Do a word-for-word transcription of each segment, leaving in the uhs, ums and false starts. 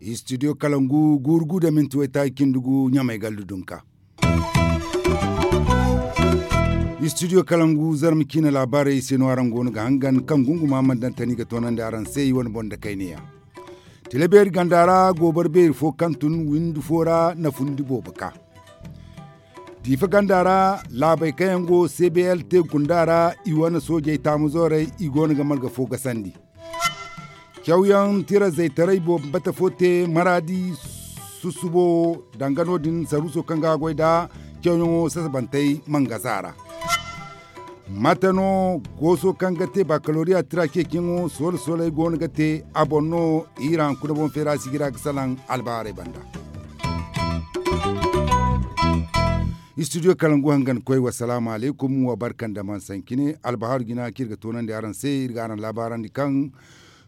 Istidiyo kalangu guuru gu da minti waytaaci cindi gu ɲamay gallu dunka. Istidiyo kalangu zarma ciina laabaarey se no araŋ go no ga hangan kaŋ gunguma mana daŋ tani ga toonandi araŋ se i wane boŋ da kayneyaŋ. Tila beeri ganda ra gooboro beeri fo kaŋ tun windi fo ra na fundi boobo ka. Diifa ganda ra laabey kaŋ yaŋ go cblt gunda ra i wane soojey taamu zoorey i go no ga marga fo gasandi. Cawyaŋ tira zaytaray boobo bata fo te maraadi susubo danga no- din saruuso kaŋ ga a goy nd'a cawyaŋo sasabantey mangasa ra. Mate no gooso kaŋ ga te bakaloriya tira ceeciyaŋo soola soolay go no ga te a boŋ no i ra hunkuna boŋ feera sigira ga salaŋ albaarey banda. Istidiyo kalangu hangan koy wasalaamu alaykum wa barka nda man sankine albahaaru jina kaŋ iri ga toonandi araŋ se iri ga araŋ laabaarandi kaŋ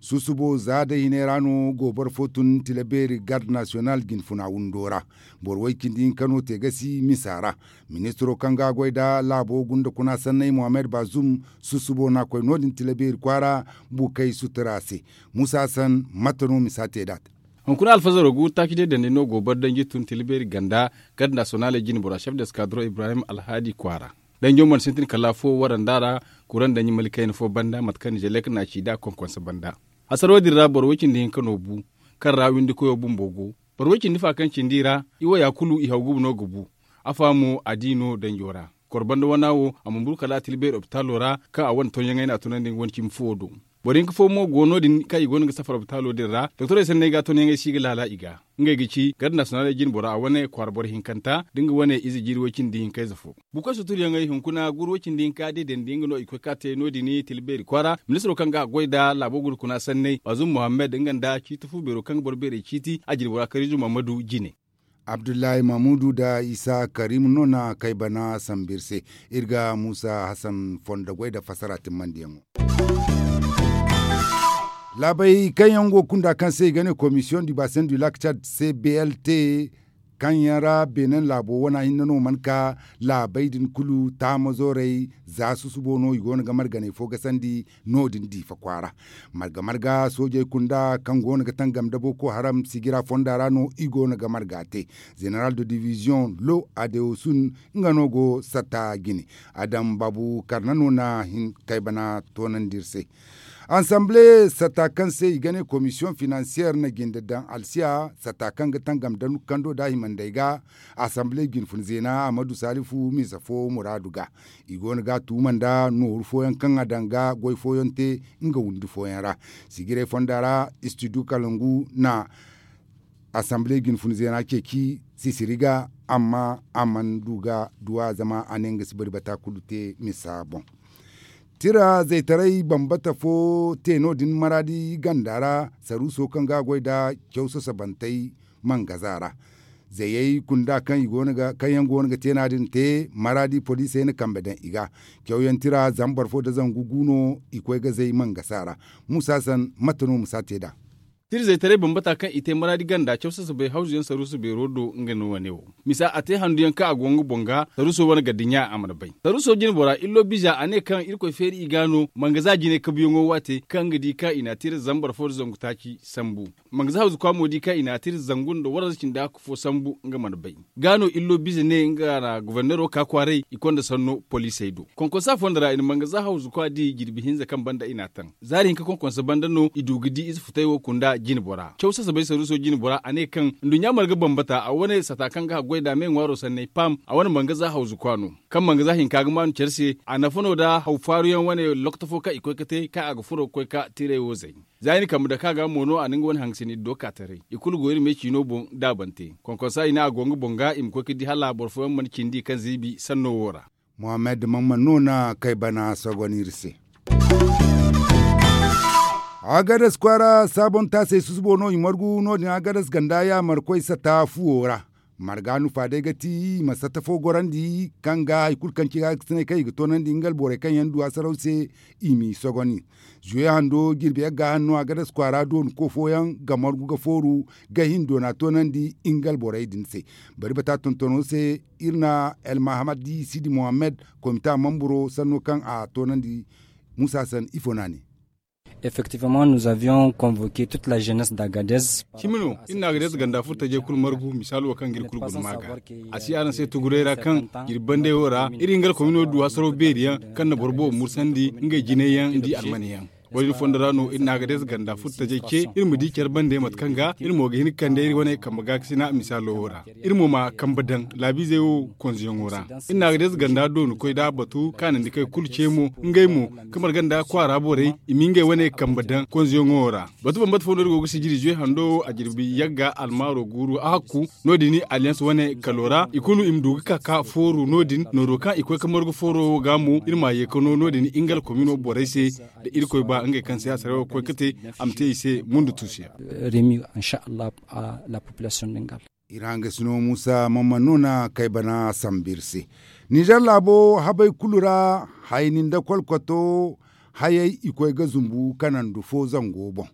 susubo za day hinay ra no gooboro fo tun tila beeri garde nasiyonal jinfuna windo ra. Boro way-cindi hinka no te gasi misa ra. Ministiro kaŋ ga a goy nda laabo gunda kuna sanney mohammed bazum susubo no a koy no- din tila beeri kwaara bukey sutura se. Musa hassan mate no misa te nd'a te. Hunkuna alfazaro guuru taaci day dandi no gooboro danji tun tila beeri ganda garde nasiyonaley jine bora chef de skadron ibrahim alhaadi kwaara. Danjo mana sintin kala afo waranda ra kuraŋ danji mali kayna fo banda mate kaŋ nizelek na a ci nd'a konkonse banda. Hasaro din ra boro way-cindi hinka no bu kaŋ ra windikoyo bumbo go. Boro way-cindi fa kaŋ cindi ra i waya kulu i haw guba no ga bu. Afa mo a di no danjo ra kor banda wana wo a ma buru kala a tila beeri opitaalo ra kaŋ a wane tonyaŋey no a tunandi nga wane cimi fuwo do. Boro hinka fo mo go no- din kaŋ i go no ga safar opitaalo din ra doktorey sanney ga tonyaŋey si ga laala i ga. Ngey ga ci garde nasiyonaley jine bora a wane kwaara boro hinkanta da nga wane ize jiiri way-cindi hinkayze fo. Bukoy suturyaŋey hunkuna guuru way-cindi hinka day dandi nga no i koy ka te no- din tila beeri kwaara ministiro kaŋ ga a goy nda laabo guna kuna sanney bazum mohammed nga nda ciiti fu beero kaŋ ga boro beerey ciiti a jine bora kariizu mahamadu jine. Abdullahi mahamudu nda isa karimu no na kay bana sambu iri se. Iri ga musa hassan fondo goy nda fassara timmandiyaŋo. Laabey kaŋ yaŋ go kunda kaŋ se i ga ne komisiyoŋ du basen du lak cad cblt kaŋ yaŋ ra beenen laabo wana hinne no mana ka laabey din kulu taamazoorey za susubo no i go no ga marganey fo gasandi no- din diifa kwaara. Marga marga soojey kunda kaŋ go no ga tangam nda boko haram sigira fonda ra no i go no ga marga te. Zeneral de diviziyoŋ lo adewosun nga no go satta jine. Adam baabu karna no na hin kaybana toonandi iri se. Ansamble satta kaŋ se i ga ne komisiyoŋ finansiyeer na jinde daŋ alsiya satta kaŋ ga tangam da kando da himandey ga. Asamble jinfun zeena amadu salifu misa fo muraadu ga i go no ga a tuuma nda nooru fooyaŋ kaŋ a daŋ ga goy fooyaŋ te nga windi fooyaŋ ra. Sijiray fonda ra istidu kalangu na asamble jinfun zeena ceeci sisiri ga amma a mana du ga duw'a zama a ne nga si bari bata kulu te misa boŋ. Tira zaytaray bambata fo te no- din maraadi ganda ra saruuso kaŋ ga a goy nda caw sasabantey mangaza ra. Zayey kunda kaŋ yaŋ go no ga te no- din te maraadi poliisey na kambe daŋ i ga. Cawyaŋ tira zambar fo nda zangu gu no i koy ga zay mangasa ra. Musa san mate no ma si a te nd'a? Tira zaytaray bambata kaŋ i te maraadi ganda caw sasabey hawzu yaŋ saruuso beero do nga no wane wo. Misa a te handu yaŋ kaŋ a go nga boŋ ga saruuso wane gardiɲa a mana bay. Saruuso jine bora illo biza a ne kaŋ irkoy feeri i ga no mangaza jine kabuyaŋo waate kaŋ nga di kaŋ i na a tira zambar fo nda zangu taaci sambu. Mangaza hawzu kwa mo di kaŋ i na a tira zangu nda waranza cindi hakku fo sambu nga mana bay. Ga no illo bize ne nga na gobornero ka kwaaray i konda sanno poliisey do konkonsa fo nda ra i na mangaza hawzu kwa di jirbi hinza kaŋ banda i n'a taŋ. Zaari hinka konkonsa banda no i du ga di ize futay wo kunda jine bora caw sasabay saruuso jine bora a ne kaŋ nduɲɲa marga bambata a wane sata kaŋ ga haggoy nd'a me ŋwaaro sanney paam a wane mangaza hawzu kwa no. Kaŋ mangaza hinka ga maanu care se a nafa no nda haw faaruyaŋ wane lokto fo kaŋ i koy ga te kaŋ a ga furo ga koy ka tiray wo zay. Za i na kambe dake a ga mo no a na nga wane hangasini iddo ka taray i kulu go iri me ciino boŋ daabante konkonsa i ne a go nga boŋ ga i ma koy ga di hala boro fooyaŋ mana cindi kaŋ ziibi sanno wo ra. Mohammed mamman no na kay bana sogon iri se. Agadas kwaara saabon taasey susubo no i margu no- din agadas ganda yaamarkoy sata fuwo ra. Marga nufa day ga ti i ma satta fo gorandi kaŋ ga hari kulu kaŋ ci ga ga sinay kaŋ i ga toonandi nga alborey kaŋ yaŋ du hasaraw se. I m'i sogoni zuwe hando jirbi yagga hanno a ga dasa kwaara doonu ko fooyaŋ ga margu ga fooru ga hin doona toonandi nga alborey din se. Bari bata tontono se iri na el mahamadi sidi mohammed komita mamburo sanno kaŋ a toonandi. Musa san ifo no a ne. Effectivement nous avions convoqué toute la jeunesse d'Agadez. Cimi no iri na Agadez ganda furtajey kulu margu misaalo kaŋ ga iri kulu guna ma ga. A si araŋ se tuguray ra kaŋ jirbi bandey wo ra iri nga alkomino du hasaraw beeri yaŋ kaŋ na boro boobo mursandi ngey jinay yaŋ nda i almane yaŋ. Wo- din fondo ra no iri na Agadez ganda furtajey ce iri ma di care bandey mate kaŋ ga iri mo ga hin ga kande iri wane kambe gaakasina misaalo wo ra. Iri mo ma kambe daŋ laabiizey wo konzuyaŋo ra. Iri na Agadez ganda doonu koy da batu kaanandi kay kulu ce mo ngey mo kamar ganda kwaara borey i ma ngey wane kambe daŋ konzuyaŋo ra. Batu bambata fo no iri go ga sijiri zuwe hando wo a jirbi yagga almaaro guuru a hakku. No- din alliance wane kalo ra i kulu i ma du ga ka ka fooru no- din nooro kaŋ i koy ga margu fooro wo ga mo iri ma ye ga no no- din nga alkomino borey se. Da irkoy ba ngey kaŋ se a saray wo ga koy ga te a ma te i se mundu tuusiyaŋ. Remi inshallah. La population dingal. Iri hangasino musa mamman no na kay bana sambu iri se. Nizer laabo habay kulu ra hayni nda kolkoto hayey i koy ga zumbu kanandu fo zango boŋ.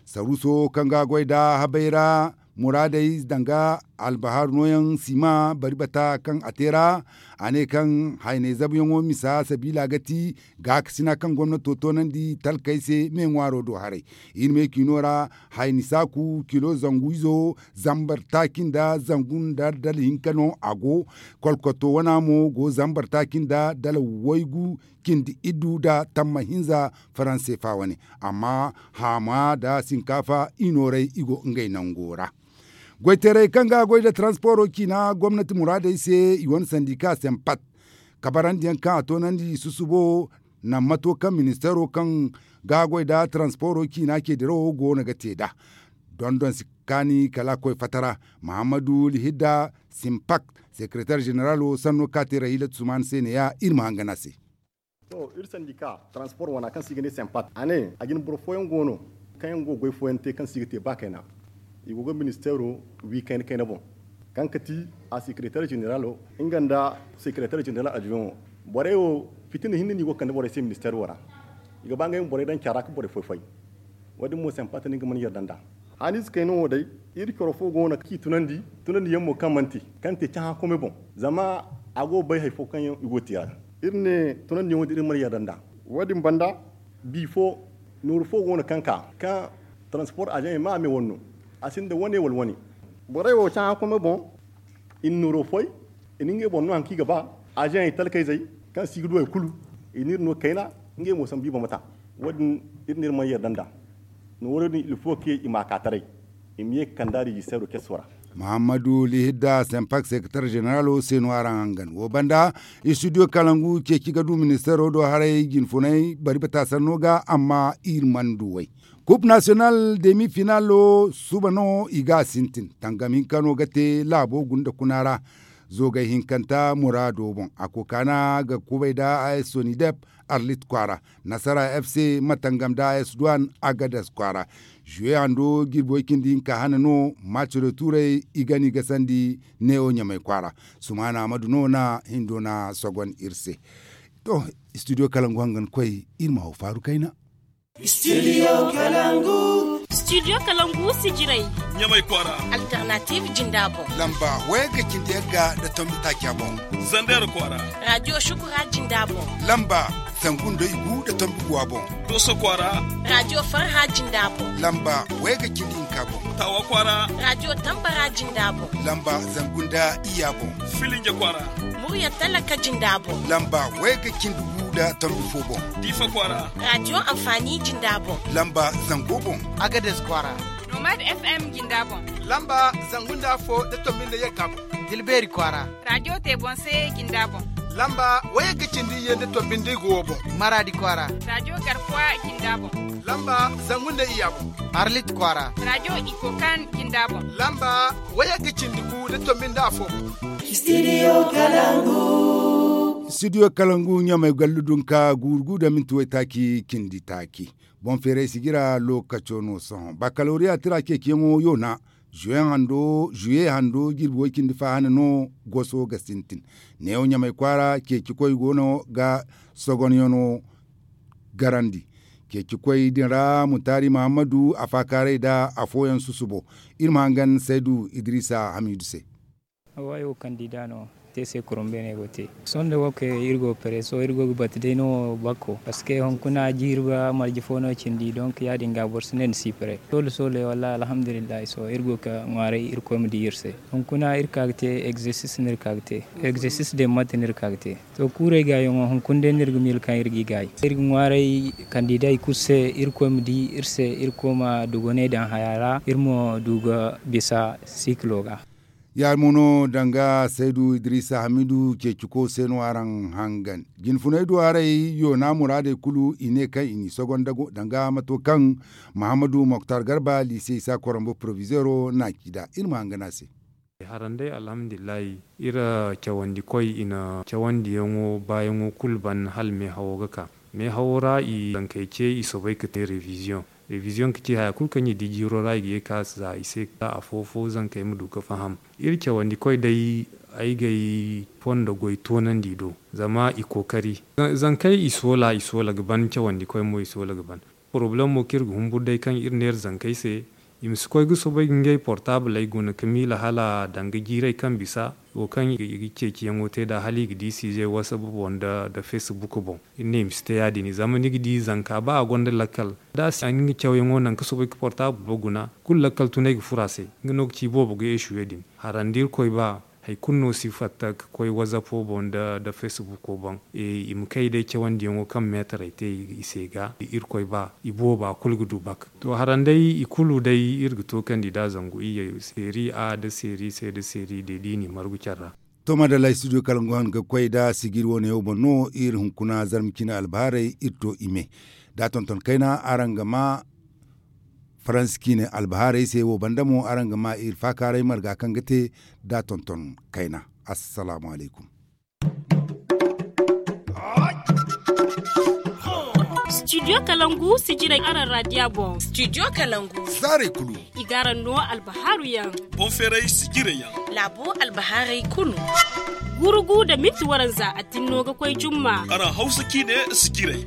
Saruuso kaŋ ga a goy nda habay ra muraadey danga albahar nooyaŋ sima bari bata kaŋ a te ra. A ne kaŋ hayney zabuyaŋo misa sabiila ga ti gaakasina kaŋ gomnato toonandi talkey se me ŋwaaro do haray. Iri me kiino ra hayni saaku kilo zangu izo zambar taaci nda zangu nda dala hinka no a go. Kolkoto wana mo go zambar taaci nda dala waygu cindi iddu nda tamma hinza faransefa wane. Amma haama nda sinkaafa i nooray i go ngey nango ra. Goytaray kaŋ ga a goy nda taransporo ciina gomnati muraadey se i wane sandika sempat kabarandiyaŋ kaŋ a toonandi susubo. Naŋ mato kaŋ ministeero kaŋ ga a goy nda taransporo ciina ceedirawo go no ga te nd'a. Dondon si kaani kala a koy fatara. Mahammadu lihidda simpak sekeretar ženeralo sanno kaŋ a te rahila tusuman se neeya iri ma hangan a se. To iri sandika taranspor wana kaŋ se i ga ne sempat a ne a jine boro fooyaŋ go no kaŋ yaŋ go ga goy fooyaŋ te kaŋ se i ga te ba kayna. I go ga ministeero wi kayna kayna boŋ kaŋ ga ti a sekeretar ženeralo nga nda sekeretar ženeral adjoin wo. Borey wo fitina hinne no i go ga kande borey se ministeero wo ra. I ga ba ngey ma borey daŋ care ra ga borey foy foy. Wo- din mo sempat no nga mana yarda nd'a. Haniize kayna wo day iri coro fo go no kaŋ i tunandi tunandiyaŋ mo kaŋ mana te kaŋ te cahã kome boŋ. Zama a go ga bay hari fo kaŋ yaŋ i go ga te a ra. Iri ne tunandiyaŋo din iri mana yarda nd'a. Wo- din banda bi fo nooru fo go no kaŋ ka kaŋ taranspor azaŋey ma a me wane no. A sinda wane wala wane. Borey wo cahã kome boŋ. I na nooro foy i na ngey boŋ no hari kaŋ i ga ba. Azaŋey talkayzey kaŋ se i ga du hari kulu i n'iri no kayna. Ngey mo sambu i bambata. Wo- din iri n'iri mana yarda nd'a. Nooro din ilfo ke i ma a ka taray i ma ye ga kand'a rejisteero keso ra. Muhammadu lihidda sempak sekeretar ženeralo se no araŋ hangan wo banda. Istudiyo kalangu ceeci ga du ministeero do haray jinfunay bari bata sanno ga amma iri mana du way. Kup nasiyonal demi finalo suba no i ga a sintin tangam hinka no ga te laabo gunda kuna ra. Zoogay hinkanta muraado boŋ a kokaana ga kubay nda a s sonidep arlit kwaara. Nasara f c ma tangam nda a s duwan agadas kwaara. Zuwe hando jirbi way cindi hinka hane no maaciro tuuray i ga ni gasandi neewo ɲamay kwaara. Sumaana amadu no na hindo na sogon iri se. To, istudiyo kalangu hangan koy iri ma haw faaru kayna. Studio kalangu. Studio kalangu sijiray. Ɲamay kwaara. Alternative jinda boŋ. Lamba wayga cindi yagga nda tombi taaca boŋ. Zander kwaara. Radio shukura jinda boŋ. Lamba zangu nda igu nda tombi guwa boŋ. Doso kwaara. Radio farha jinda boŋ. Lamba wayga cindi hinka boŋ. Tawa kwaara. Radio tambara jinda boŋ. Lamba zangu nda iyya boŋ. Filinje kwaara. Murya talaka jinda boŋ. Lamba wayga cindi gu nda tombi fo boŋ. Diifa kwaara. Radio amfani jinda boŋ. Lamba zango boŋ. Agades kwaara. Nomad f m jinda boŋ. Lamba zangu nda afo nda tombi nda yagga boŋ. Dilbeeri kwaara. Radio tebonse jinda boŋ. Lamba wayagga cindi iyye nda tombi nda igu wo boŋ. Maraadi kwaara. Radio garkuwa jinda boŋ. Lamba zangu nda iyya boŋ. Arlit kwaara. Radio ikokan jinda boŋ. Lamba wayagga cindi gu nda tombi nda afo boŋ. Studio kalangu. Studio kalangu ɲamay gallu dunka guuru gu nda minti waytaaci cindi taaci. Boŋ feeray sijira lookaco no sohõ bakalooriya tira ceeciyaŋo yoona. Zuye hando jirbi way-cindi faahana no goso ga sintin. Neewo ɲamay kwaara ceecikoy go no ga sogonyaŋo garandi. Ceecikoy din ra mutaari muhammadu a faakaaray nda afooyaŋ susubo. Iri ma hangan saydu idiriisa hamiidu se. Wayo kandida no te se kurum beene go te. Sohõ nda wo kay iri go pere sohõ iri go ga batu day no bakko parceque hunkuna jiiri ba marje fo no cindi donk ya- din ga boro si ne ni si pere sohõ da sohõ day wallaahi alhamdulillahi sohõ iri go ga ŋwaaray irkoy ma di iri se. Hunkuna iri ka ga te egzersis no iri ka ga te. Egzersis day mate no iri ka ga te. To kuurey gaayaŋo hunkuna day no iri ga miila kaŋ iri g'i gaayi iri ga ŋwaaray kandida i kulu se. Irkoy ma di iri se irkoy ma dugoney daŋ haya ra iri ma du ga bisa sikilo ga. Ya- din mo no danga saydu idiriisa hamiidu ceeciko se no araŋ hangan jinfunay duwaaray yoona muraadey kulu i ne kaŋ i n'i sogonda danga mato kaŋ muhammadu moktar garba liise isa koronbo porovizeero n'a ci nd'a iri ma hangan a se. Haran day alhamdulillahi iri cawandikoy i na cawandiyaŋo baayaŋo kulu ban hala meehawo ga ka. Meehawo ra i zankey ce i soobay ga te reviziyoŋ. Reviziyoŋ ga ci haya kulu kaŋ i di jiiro ra i ga ye ga ka za i se za afo fo zankey ma du ga faham. Iri cawandikoy day ay g'ay fondo goy toonandi do zama i kookari. Zankey i soola i soola ga ban cawandikoy mo i soola ga ban. Porobalem mo kaŋ iri ga humburu day kaŋ iri neera zankey se i ma si koy ga soobay ga ngey portaabaley guna ga miila hala danga jiirey kaŋ bisa wo kaŋ i ga ceeciyaŋo te nd'a hala i ga di siizey wasap boŋ nda fesbuk boŋ. Iri ne i ma si te ya- din zama ni ga di zanka ba a gonda lakkal da a si a nga cawyaŋo naŋ ga soobay ga portaabal bo guna kulu lakkal tunay ga furo a se. Nga no ga ci boobo ga eesuwe din harandi irkoy ba hari kulu no si fatta ga koy wazapo boŋ nda fesbuko boŋ. I ma kay day cawandiyaŋo kaŋ meetarey te i se ga irkoy ba i booba kulu ga du bak. To haran day i kulu day iri ga to kandida zangu iyye seeri a nda seeri se nda seeri de da i n'i margu care ra. To madalla studio kalangu han ga koy nda sijiri wane wo boŋ no iri hunkuna zarma ciine albahaarey iri to i me. Da a tonton kayna araŋ ga ma faransi ciine albahaarey se wo banda mo araŋ ga ma iri faakaaray marga kaŋ ga te da a tonton kayna. Assalaamu alaykum. Studio kalangu sijirey araŋ raadiya boŋ. Studio kalangu zaarey kulu i ga araŋ no albahaaru yaŋ. Boŋ feeray sijirey yaŋ laabo albahaarey kulu. Gurugu nda minti waranza a tinno ga koy jumma. Araŋ hawsa ciine sijirey.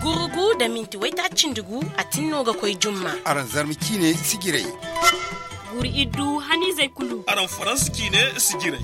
Gurugu nda minti waytaaci nda gu a tinno ga koy jumma. Araŋ zarma ciine sijirey. Guru iddu haniizey kulu. Araŋ faransa ciine sijirey.